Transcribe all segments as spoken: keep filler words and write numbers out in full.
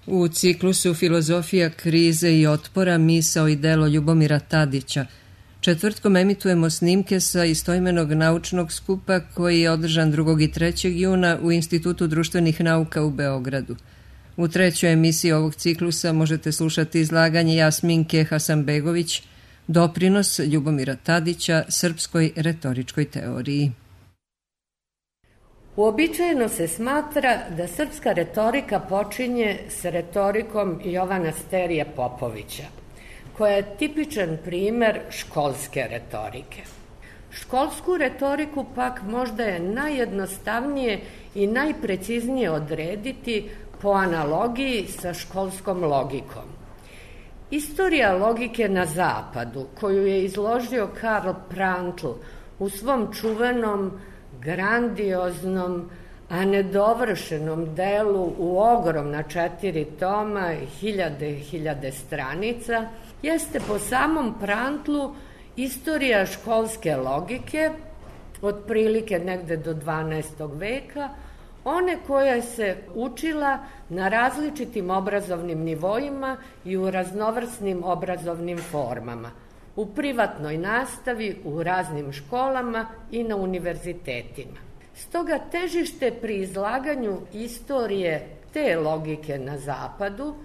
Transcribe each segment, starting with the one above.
U ciklusu Filozofija krize i otpora, misao i delo Ljubomira Tadića četvrtkom emitujemo snimke sa istoimenog naučnog skupa koji je održan drugog i trećeg juna u Institutu društvenih nauka u Beogradu. U trećoj emisiji ovog ciklusa možete slušati izlaganje Jasminke Hasanbegović, doprinos Ljubomira Tadića srpskoj retoričkoj teoriji. Uobičajeno se smatra da srpska retorika počinje s retorikom Jovana Sterije Popovića, koja je tipičan primer školske retorike. Školsku retoriku pak možda je najjednostavnije i najpreciznije odrediti po analogiji sa školskom logikom. Istorija logike na zapadu, koju je izložio Karl Prantl u svom čuvenom, grandioznom, a nedovršenom delu u ogromna četiri toma, hiljade, hiljade stranica, jeste po samom Prantlu istorija školske logike, otprilike negde do dvanaestog veka, one koja se učila na različitim obrazovnim nivoima i u raznovrsnim obrazovnim formama, u privatnoj nastavi, u raznim školama i na univerzitetima. Stoga težište pri izlaganju istorije te logike na zapadu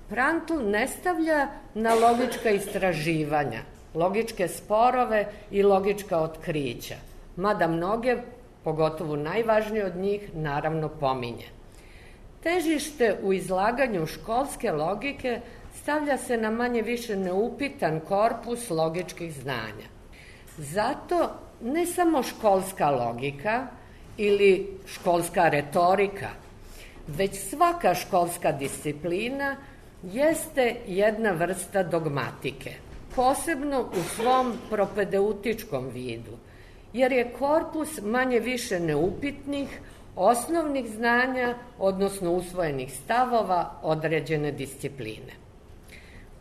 Prantl ne stavlja na logička istraživanja, logičke sporove i logička otkrića, mada mnoge, pogotovo najvažnije od njih, naravno pominje. Težište u izlaganju školske logike stavlja se na manje više neupitan korpus logičkih znanja. Zato ne samo školska logika ili školska retorika, već svaka školska disciplina jeste jedna vrsta dogmatike, posebno u svom propedeutičkom vidu, jer je korpus manje više neupitnih, osnovnih znanja, odnosno usvojenih stavova određene discipline.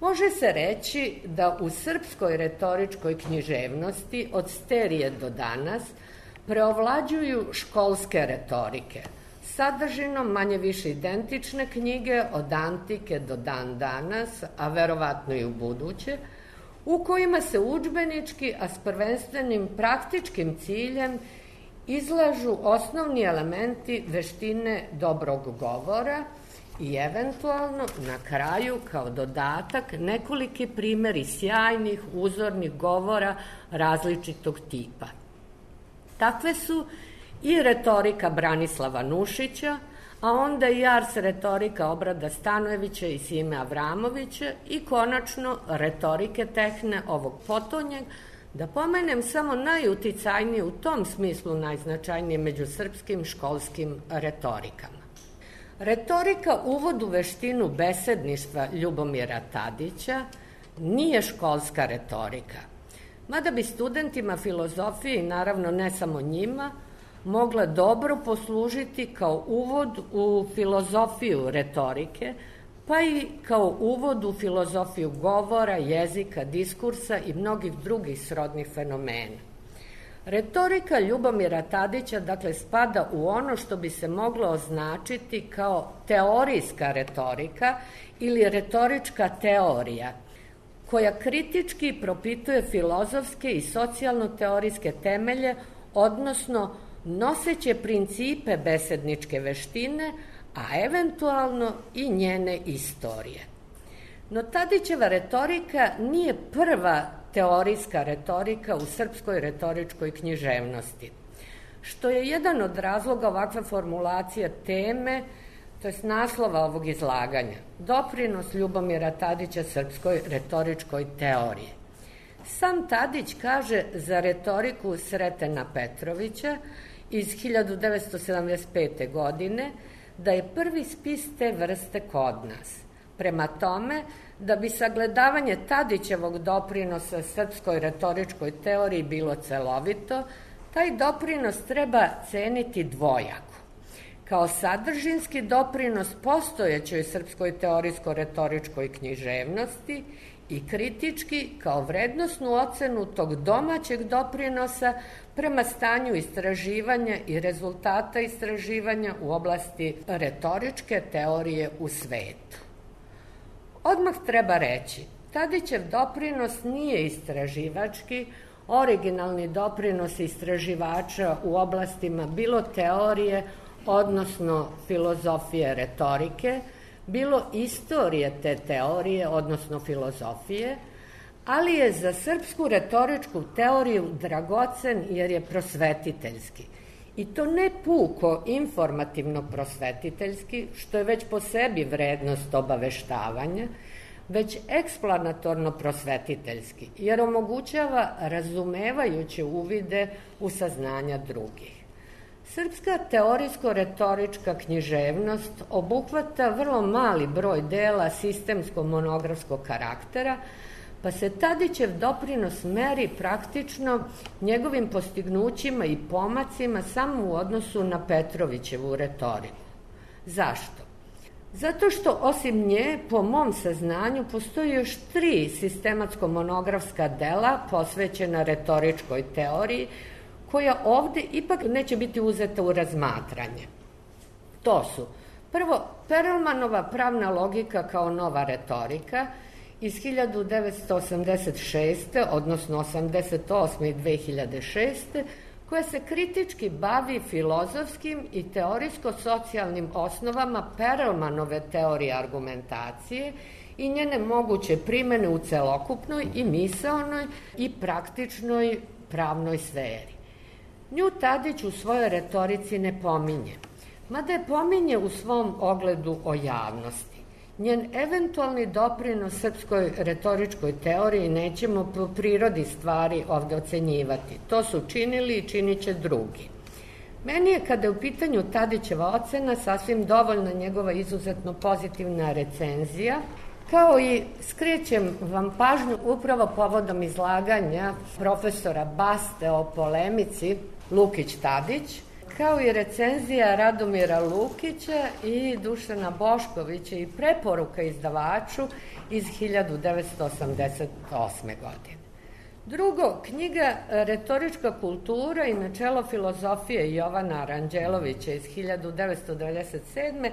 Može se reći da u srpskoj retoričkoj književnosti od Sterije do danas preovlađuju školske retorike, sadržinom manje više identične knjige od antike do dan danas, a verovatno i u buduće, u kojima se udžbenički, a s prvenstvenim praktičkim ciljem izlažu osnovni elementi veštine dobrog govora i eventualno na kraju kao dodatak nekoliki primeri sjajnih uzornih govora različitog tipa. Takve su i retorika Branislava Nušića, a onda i ars retorika Obrada Stanojevića i Sime Avramovića i konačno retorike Tehne ovog potonjeg, da pomenem samo najuticajnije u tom smislu najznačajnije među srpskim školskim retorikama. Retorika uvod u veštinu besedništva Ljubomira Tadića nije školska retorika, mada bi studentima filozofije, i naravno ne samo njima, mogla dobro poslužiti kao uvod u filozofiju retorike, pa i kao uvod u filozofiju govora, jezika, diskursa i mnogih drugih srodnih fenomena. Retorika Ljubomira Tadića, dakle, spada u ono što bi se moglo označiti kao teorijska retorika ili retorička teorija, koja kritički propituje filozofske i socijalno-teorijske temelje, odnosno noseće principe besedničke veštine, a eventualno i njene istorije. No Tadićeva retorika nije prva teorijska retorika u srpskoj retoričkoj književnosti, što je jedan od razloga ovakve formulacije teme, to je naslova ovog izlaganja, doprinos Ljubomira Tadića srpskoj retoričkoj teoriji. Sam Tadić kaže za retoriku Sretena Petrovića iz hiljadu devetsto sedamdeset pete. godine da je prvi spis te vrste kod nas. Prema tome, da bi sagledavanje Tadićevog doprinosa srpskoj retoričkoj teoriji bilo celovito, taj doprinos treba ceniti dvojako. Kao sadržinski doprinos postojećoj srpskoj teorijsko-retoričkoj književnosti i kritički kao vrednosnu ocenu tog domaćeg doprinosa prema stanju istraživanja i rezultata istraživanja u oblasti retoričke teorije u svetu. Odmah treba reći, Tadićev doprinos nije istraživački, originalni doprinos istraživača u oblastima bilo teorije, odnosno filozofije retorike, bilo istorije te teorije, odnosno filozofije, ali je za srpsku retoričku teoriju dragocen jer je prosvetiteljski. I to ne puko informativno prosvetiteljski, što je već po sebi vrednost obaveštavanja, već eksplanatorno prosvetiteljski, jer omogućava razumevajuće uvide u saznanja drugih. Srpska teorijsko-retorička književnost obuhvata vrlo mali broj dela sistemsko-monografskog karaktera, pa se Tadićev doprinos meri praktično njegovim postignućima i pomacima samo u odnosu na Petrovićevu retoriku. Zašto? Zato što osim nje, po mom saznanju, postoji još tri sistematsko-monografska dela posvećena retoričkoj teoriji, koja ovde ipak neće biti uzeta u razmatranje. To su, prvo, Perelmanova pravna logika kao nova retorika iz hiljadu devetsto osamdeset šeste. odnosno osamdeset osme i dve hiljade šeste. koja se kritički bavi filozofskim i teorijsko-socijalnim osnovama Perelmanove teorije argumentacije i njene moguće primene u celokupnoj i misaonoj i praktičnoj pravnoj sferi. Nju Tadić u svojoj retorici ne pominje, mada je pominje u svom ogledu o javnosti. Njen eventualni doprinos srpskoj retoričkoj teoriji nećemo po prirodi stvari ovde ocenjivati. To su činili i činit će drugi. Meni je, kada je u pitanju Tadićeva ocena, sasvim dovoljna njegova izuzetno pozitivna recenzija, kao i skrećem vam pažnju upravo povodom izlaganja profesora Baste o polemici Lukić-Tadić, kao i recenzija Radomira Lukića i Dušana Boškovića i preporuka izdavaču iz hiljadu devetsto osamdeset osme. godine. Drugo, knjiga Retorička kultura i načelo filozofije Jovana Aranđelovića iz hiljadu devetsto devedeset sedme.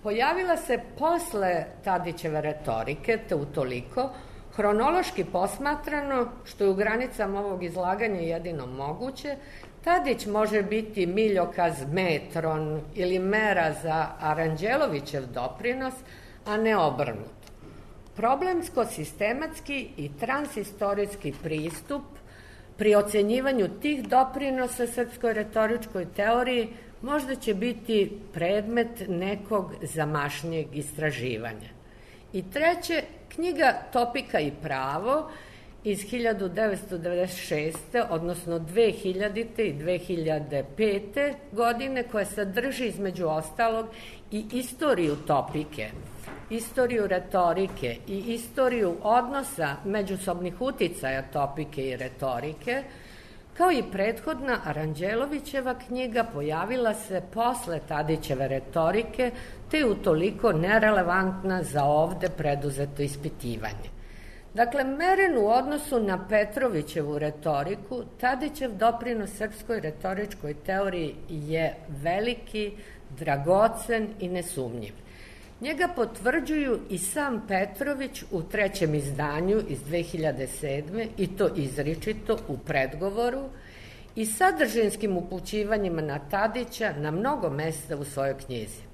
pojavila se posle Tadićeve retorike, te utoliko, hronološki posmatrano, što je u granicama ovog izlaganja jedino moguće, Tadić može biti miljokaz, metron ili mera za Aranđelovićev doprinos, a ne obrnuto. Problemsko-sistematski i transistorijski pristup pri ocenjivanju tih doprinosa srpskoj retoričkoj teoriji možda će biti predmet nekog zamašnijeg istraživanja. I treće, knjiga Topika i pravo iz hiljadu devetsto devedeset šeste. odnosno dve hiljadite. i dve hiljade pete. godine, koja sadrži između ostalog i istoriju topike, istoriju retorike i istoriju odnosa međusobnih uticaja topike i retorike, kao i prethodna Aranđelovićeva knjiga, pojavila se posle Tadićeve retorike, te je utoliko nerelevantna za ovde preduzeto ispitivanje. Dakle, meren u odnosu na Petrovićevu retoriku, Tadićev doprinos srpskoj retoričkoj teoriji je veliki, dragocen i nesumnjiv. Njega potvrđuju i sam Petrović u trećem izdanju iz dve hiljade sedme. i to izričito u predgovoru i sadržinskim upućivanjima na Tadića na mnogo mesta u svojoj knjizi.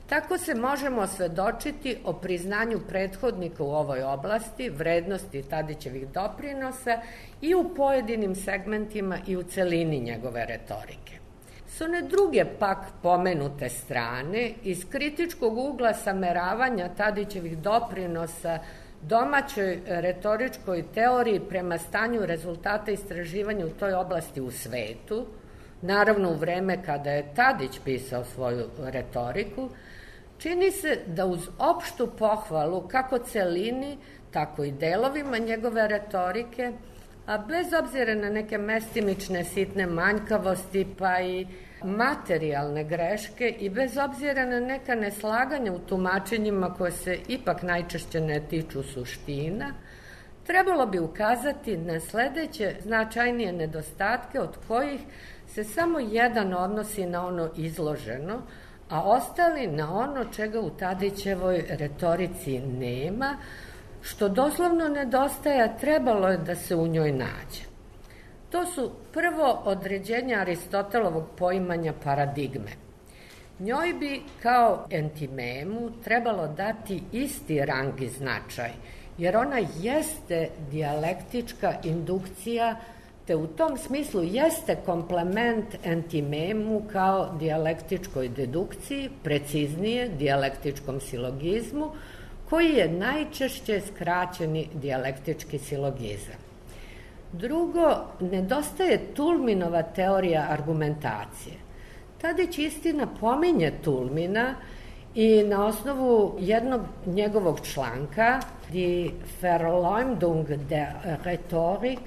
Tako se možemo osvedočiti o priznanju prethodnika u ovoj oblasti, vrednosti Tadićevih doprinosa i u pojedinim segmentima i u celini njegove retorike. S one druge pak pomenute strane, iz kritičkog ugla sameravanja Tadićevih doprinosa domaćoj retoričkoj teoriji prema stanju rezultata istraživanja u toj oblasti u svetu, naravno u vreme kada je Tadić pisao svoju retoriku, čini se da uz opštu pohvalu kako celini, tako i delovima njegove retorike, a bez obzira na neke mestimične sitne manjkavosti pa i materijalne greške i bez obzira na neka neslaganja u tumačenjima koje se ipak najčešće ne tiču suština, trebalo bi ukazati na sledeće značajnije nedostatke od kojih se samo jedan odnosi na ono izloženo, a ostali na ono čega u Tadićevoj retorici nema, što doslovno nedostaje, a trebalo je da se u njoj nađe. To su prvo određenja Aristotelovog poimanja paradigme. Njoj bi kao entimemu trebalo dati isti rang i značaj, jer ona jeste dijalektička indukcija, te u tom smislu jeste komplement entimemu kao dijalektičkoj dedukciji, preciznije dijalektičkom silogizmu, koji je najčešće skraćeni dijalektički silogizam. Drugo, nedostaje Tulminova teorija argumentacije. Tadić istina pominje Tulmina i na osnovu jednog njegovog članka Die Verleumdung der Rhetorik,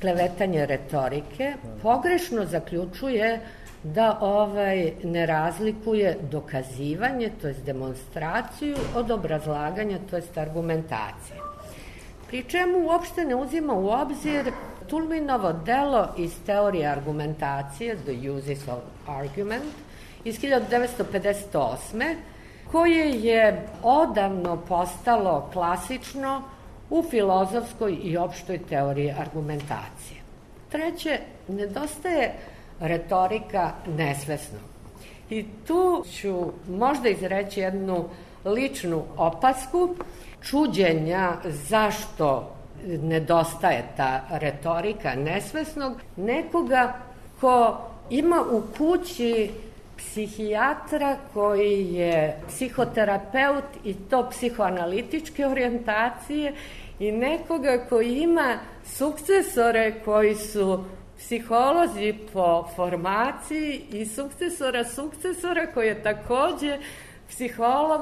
klevetanje retorike, pogrešno zaključuje da ovaj ne razlikuje dokazivanje, to jest demonstraciju, od obrazlaganja, to jest argumentacije. Pri čemu uopšte ne uzima u obzir Tulminovo delo iz teorije argumentacije, The Uses of Argument, iz hiljadu devetsto pedeset osme, koje je odavno postalo klasično u filozofskoj i opštoj teoriji argumentacije. Treće, nedostaje retorika nesvesno. I tu ću možda izreći jednu ličnu opasku čuđenja zašto nedostaje ta retorika nesvesnog, nekoga ko ima u kući psihijatra koji je psihoterapeut i to psihoanalitičke orijentacije i nekoga koji ima sukcesore koji su psiholozi po formaciji i sukcesora sukcesora koji je takođe psiholog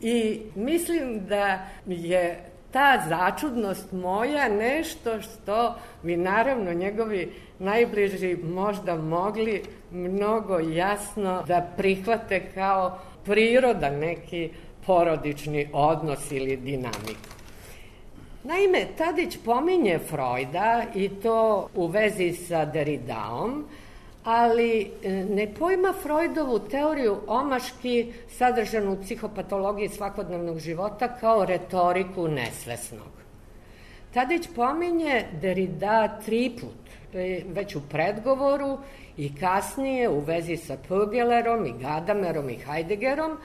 i mislim da je ta začudnost moja nešto što bi naravno njegovi najbliži možda mogli mnogo jasno da prihvate kao prirodan neki porodični odnos ili dinamiku. Naime, Tadić pominje Freuda i to u vezi sa Derridaom, ali ne pojma Freudovu teoriju omaški sadržanu u psihopatologiji svakodnevnog života kao retoriku nesvesnog. Tadić pominje Derrida triput, već u predgovoru i kasnije u vezi sa Pögelerom i Gadamerom i Heideggerom,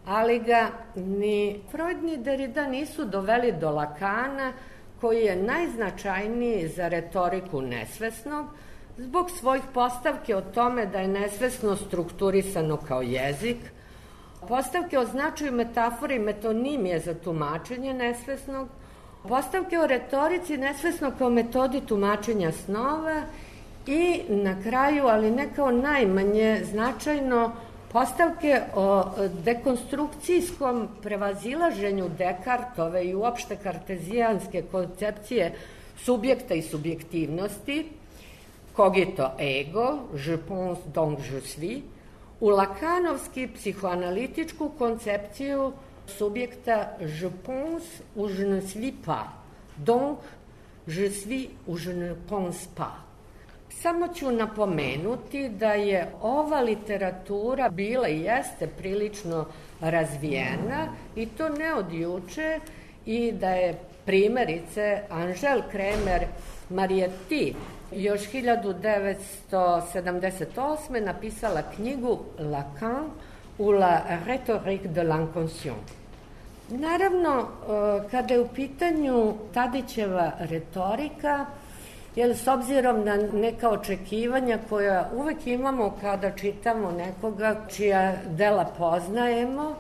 ali ga ni Freud ni Derrida nisu doveli do Lakana, koji je najznačajniji za retoriku nesvesnog, zbog svojih postavke o tome da je nesvesno strukturisano kao jezik, postavke o značaju metafore i metonimije za tumačenje nesvesnog, postavke o retorici nesvesno kao metodi tumačenja snova i na kraju, ali ne kao najmanje značajno, postavke o dekonstrukcijskom prevazilaženju Dekartove i uopšte kartezijanske koncepcije subjekta i subjektivnosti, cogito ego, je pense donc je suis, u lakanovski psihoanalitičku koncepciju subjekta je pense ou je ne suis pas, donc je suis ou je ne pense pas. Samo ću napomenuti da je ova literatura bila i jeste prilično razvijena i to ne od juče i da je primjerice Angel Kremer Marietti još hiljadu devetsto sedamdeset osme napisala knjigu Lacan ou la rhétorique de l'inconscient. Naravno, kada je u pitanju Tadićeva retorika, jer s obzirom na neka očekivanja koja uvek imamo kada čitamo nekoga čija dela poznajemo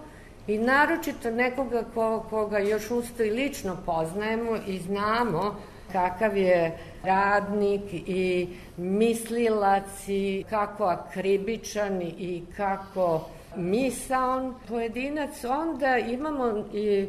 i naročito nekoga ko, koga još usto i lično poznajemo i znamo kakav je radnik i mislilac i kako akribičan i kako misaon pojedinac, onda imamo i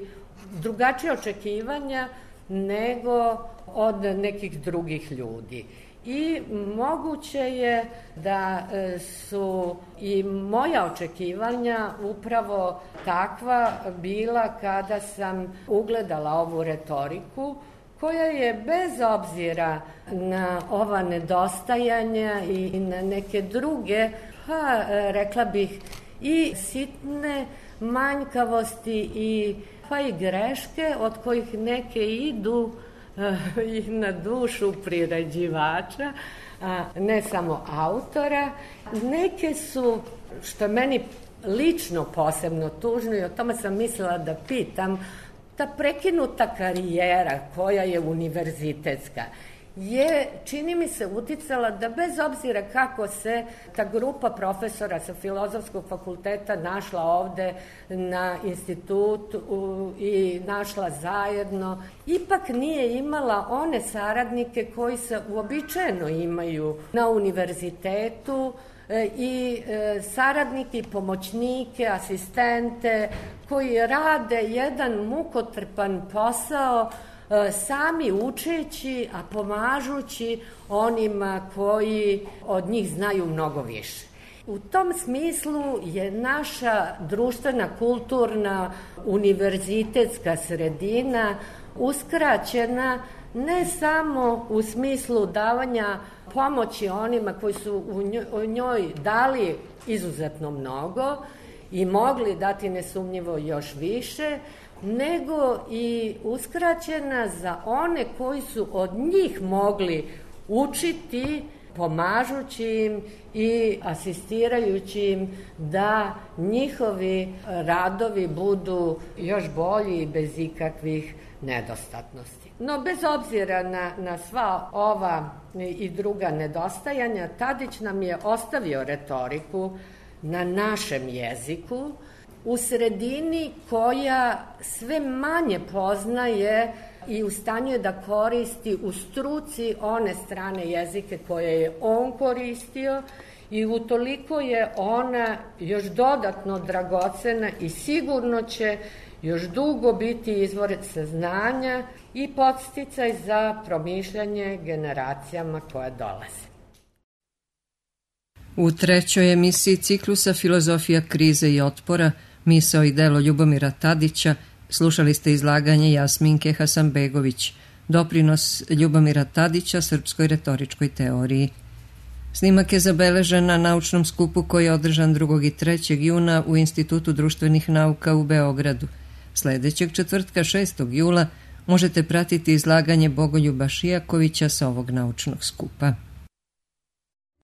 drugačije očekivanja nego od nekih drugih ljudi. I moguće je da su i moja očekivanja upravo takva bila kada sam ugledala ovu retoriku, koja je bez obzira na ova nedostajanja i na neke druge, pa rekla bih i sitne manjkavosti i pa i greške od kojih neke idu i na dušu priređivača, a ne samo autora. Neke su, što je meni lično posebno tužno i o tome sam mislila da pitam, ta prekinuta karijera koja je univerzitetska je, čini mi se, uticala da bez obzira kako se ta grupa profesora sa Filozofskog fakulteta našla ovde na institutu i našla zajedno, ipak nije imala one saradnike koji se uobičajeno imaju na univerzitetu i saradnike, pomoćnike, asistente koji rade jedan mukotrpan posao sami učeći, a pomažući onima koji od njih znaju mnogo više. U tom smislu je naša društvena, kulturna, univerzitetska sredina uskraćena ne samo u smislu davanja pomoći onima koji su u njoj dali izuzetno mnogo i mogli dati nesumnjivo još više, nego i uskraćena za one koji su od njih mogli učiti, pomažući im i asistirajući im da njihovi radovi budu još bolji i bez ikakvih nedostatnosti. No, bez obzira na, na sva ova i druga nedostajanja, Tadić nam je ostavio retoriku na našem jeziku, u sredini koja sve manje poznaje i u stanju je da koristi u struci one strane jezike koje je on koristio i utoliko je ona još dodatno dragocena i sigurno će još dugo biti izvor saznanja i podsticaj za promišljanje generacijama koje dolaze. U trećoj emisiji ciklusa Filozofija krize i otpora, misao i delo Ljubomira Tadića, slušali ste izlaganje Jasminke Hasanbegović, doprinos Ljubomira Tadića srpskoj retoričkoj teoriji. Snimak je zabeležen na naučnom skupu koji je održan drugog i trećeg juna u Institutu društvenih nauka u Beogradu. Sledećeg četvrtka šestog jula možete pratiti izlaganje Bogoljuba Šijakovića sa ovog naučnog skupa.